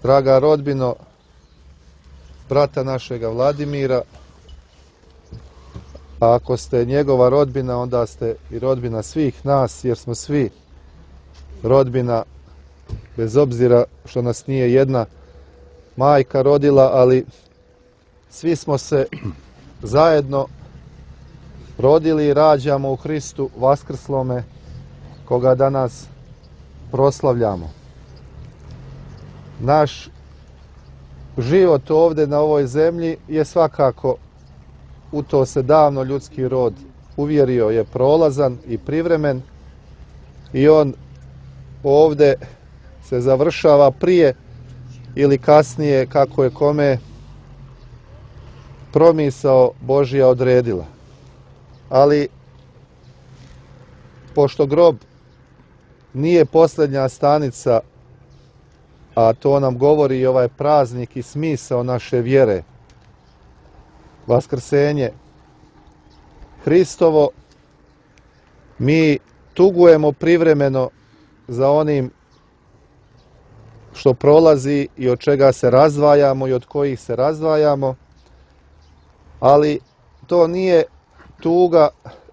Draga rodbino, brata našega Vladimira, a ako ste njegova rodbina, onda ste i rodbina svih nas, jer smo svi rodbina, bez obzira što nas nije jedna majka rodila, ali svi smo se zajedno rodili i rađamo u Hristu Vaskrslome, koga danas proslavljamo. Naš život ovdje na ovoj zemlji je svakako, u to se davno ljudski rod uvjerio, je prolazan i privremen i on ovdje se završava prije ili kasnije, kako je kome promisao Božja odredila. Ali pošto grob nije posljednja stanica, a to nam govori i ovaj praznik i smisao naše vjere, Vaskrsenje Hristovo, mi tugujemo privremeno za onim što prolazi i od čega se razdvajamo i od kojih se razdvajamo, ali to nije tuga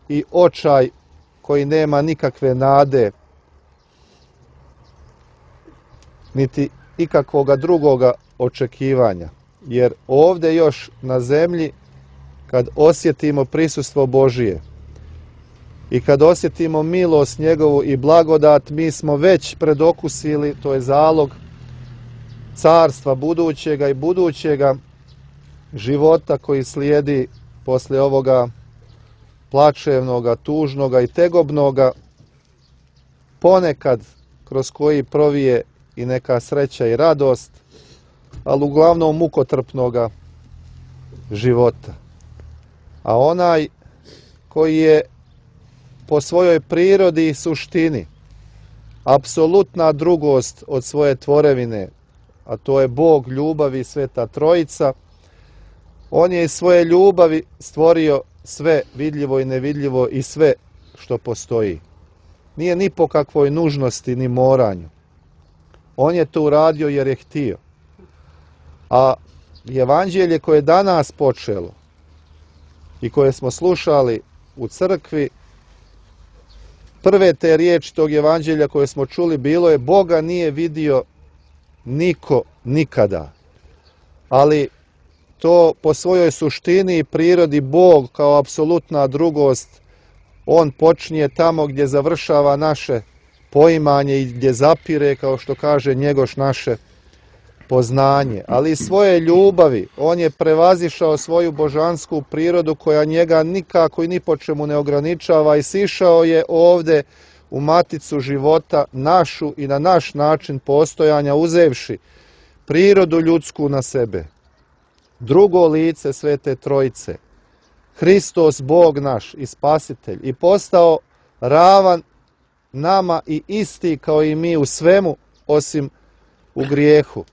i očaj koji nema nikakve nade, niti ikakvoga drugoga očekivanja. Jer ovdje još na zemlji, kad osjetimo prisustvo Božije i kad osjetimo milost njegovu i blagodat, mi smo već predokusili, to je zalog carstva budućega i budućega života koji slijedi poslije ovoga plačevnoga, tužnoga i tegobnoga, ponekad kroz koji provije i neka sreća i radost, ali uglavnom mukotrpnoga života. A onaj koji je po svojoj prirodi i suštini apsolutna drugost od svoje tvorevine, a to je Bog ljubavi, Sveta Trojica, on je iz svoje ljubavi stvorio sve vidljivo i nevidljivo i sve što postoji. Nije ni po kakvoj nužnosti ni moranju. On je to uradio jer je htio. A evanđelje koje je danas počelo i koje smo slušali u crkvi, prve te riječi tog evanđelja koje smo čuli bilo je: Boga nije vidio niko nikada. Ali to po svojoj suštini i prirodi Bog kao apsolutna drugost, on počinje tamo gdje završava naše poimanje i gdje zapire, kao što kaže Njegoš, naše poznanje. Ali iz svoje ljubavi on je prevazišao svoju božansku prirodu koja njega nikako i ni po čemu ne ograničava i sišao je ovdje u maticu života našu i na naš način postojanja, uzevši prirodu ljudsku na sebe. Drugo lice Svete Trojice, Hristos Bog naš i Spasitelj, i postao ravan nama i isti kao i mi u svemu osim u grijehu.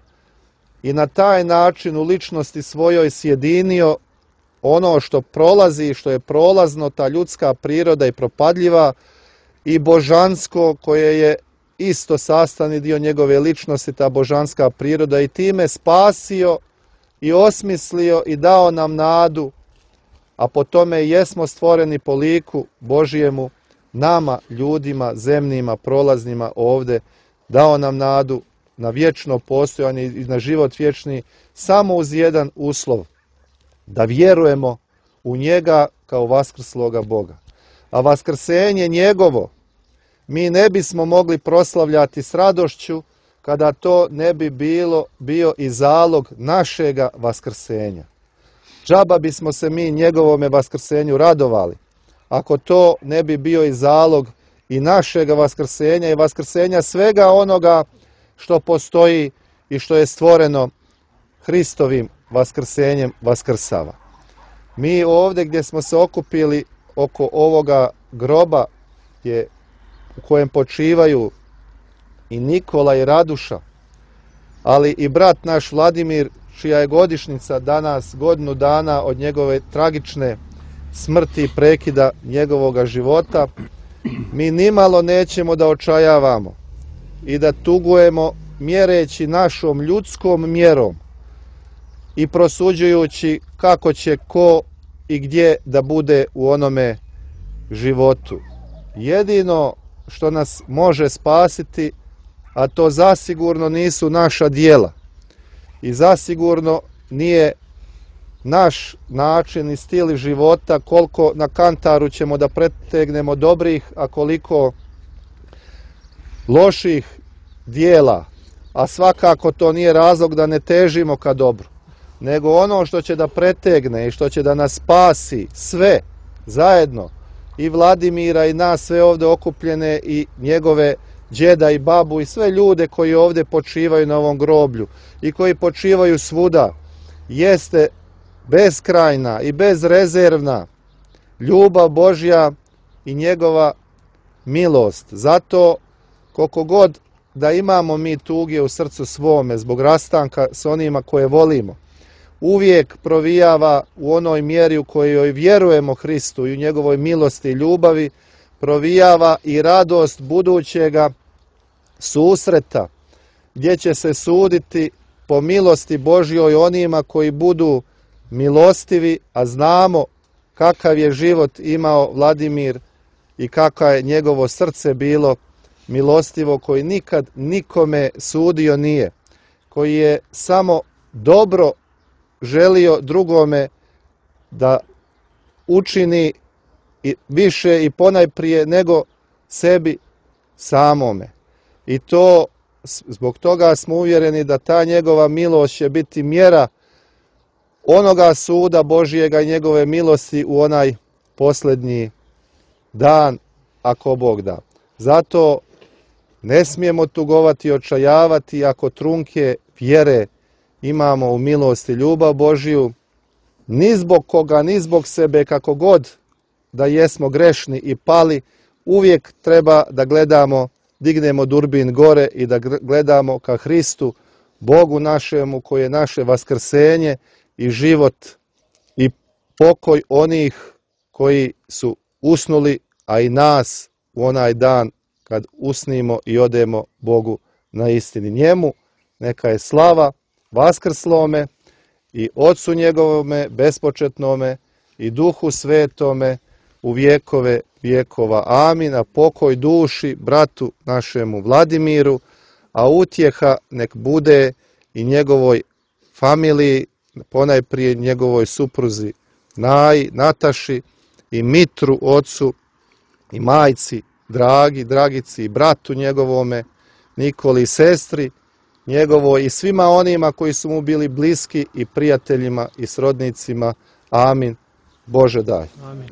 I na taj način u ličnosti svojoj sjedinio ono što prolazi, što je prolazno, ta ljudska priroda i propadljiva, i božansko koje je isto sastavni dio njegove ličnosti, ta božanska priroda, i time spasio i osmislio i dao nam nadu, a po tome jesmo stvoreni po liku Božijemu, nama, ljudima, zemljima, prolaznima ovdje, dao nam nadu na vječno postojanje i na život vječni, samo uz jedan uslov: da vjerujemo u njega kao vaskrsloga Boga. A vaskrsenje njegovo mi ne bismo mogli proslavljati s radošću kada to ne bi bio i zalog našega vaskrsenja. Džaba bismo se mi njegovome vaskrsenju radovali ako to ne bi bio i zalog i našega vaskrsenja i vaskrsenja svega onoga što postoji i što je stvoreno Hristovim vaskrsenjem vaskrsava. Mi ovdje gdje smo se okupili oko ovoga groba u kojem počivaju i Nikola i Raduša, ali i brat naš Vladimir, čija je godišnjica danas, godinu dana od njegove tragične smrti i prekida njegovoga života, mi nimalo nećemo da očajavamo i da tugujemo mjereći našom ljudskom mjerom i prosuđujući kako će ko i gdje da bude u onome životu. Jedino što nas može spasiti, a to zasigurno nisu naša djela i zasigurno nije naš način i stil života, koliko na kantaru ćemo da pretegnemo dobrih, a koliko loših djela, a svakako to nije razlog da ne težimo ka dobru, nego ono što će da pretegne i što će da nas spasi sve zajedno, i Vladimira i nas sve ovdje okupljene i njegove djeda i babu i sve ljude koji ovdje počivaju na ovom groblju i koji počivaju svuda, jeste beskrajna i bezrezervna ljubav Božja i njegova milost. Zato koliko god da imamo mi tuge u srcu svome zbog rastanka s onima koje volimo, uvijek provijava u onoj mjeri u kojoj vjerujemo Hristu i u njegovoj milosti i ljubavi, provijava i radost budućega susreta, gdje će se suditi po milosti Božjoj onima koji budu milostivi, a znamo kakav je život imao Vladimir i kako je njegovo srce bilo milostivo, koji nikad nikome sudio nije, koji je samo dobro želio drugome da učini više i ponajprije nego sebi samome. I to zbog toga smo uvjereni da ta njegova milost će biti mjera onoga suda Božjega i njegove milosti u onaj posljednji dan, ako Bog da. Zato ne smijemo tugovati i očajavati ako trunke vjere imamo u milost i ljubav Božju, ni zbog koga, ni zbog sebe, kako god da jesmo grešni i pali, uvijek treba da gledamo, dignemo durbin gore i da gledamo ka Hristu, Bogu našemu, koji je naše vaskrsenje i život i pokoj onih koji su usnuli, a i nas u onaj dan kad usnimo i odemo Bogu na istini. Njemu neka je slava vaskrslome i Otcu njegovome bespočetnome i Duhu Svetome u vjekove vjekova. Amin. A pokoj duši bratu našemu Vladimiru, a utjeha nek bude i njegovoj familiji, ponajprije njegovoj supruzi Naji, Nataši i Mitru, ocu i majci, Dragici i bratu njegovome, Nikoli i sestri njegovoj i svima onima koji su mu bili bliski i prijateljima i srodnicima. Amin. Bože daj. Amin.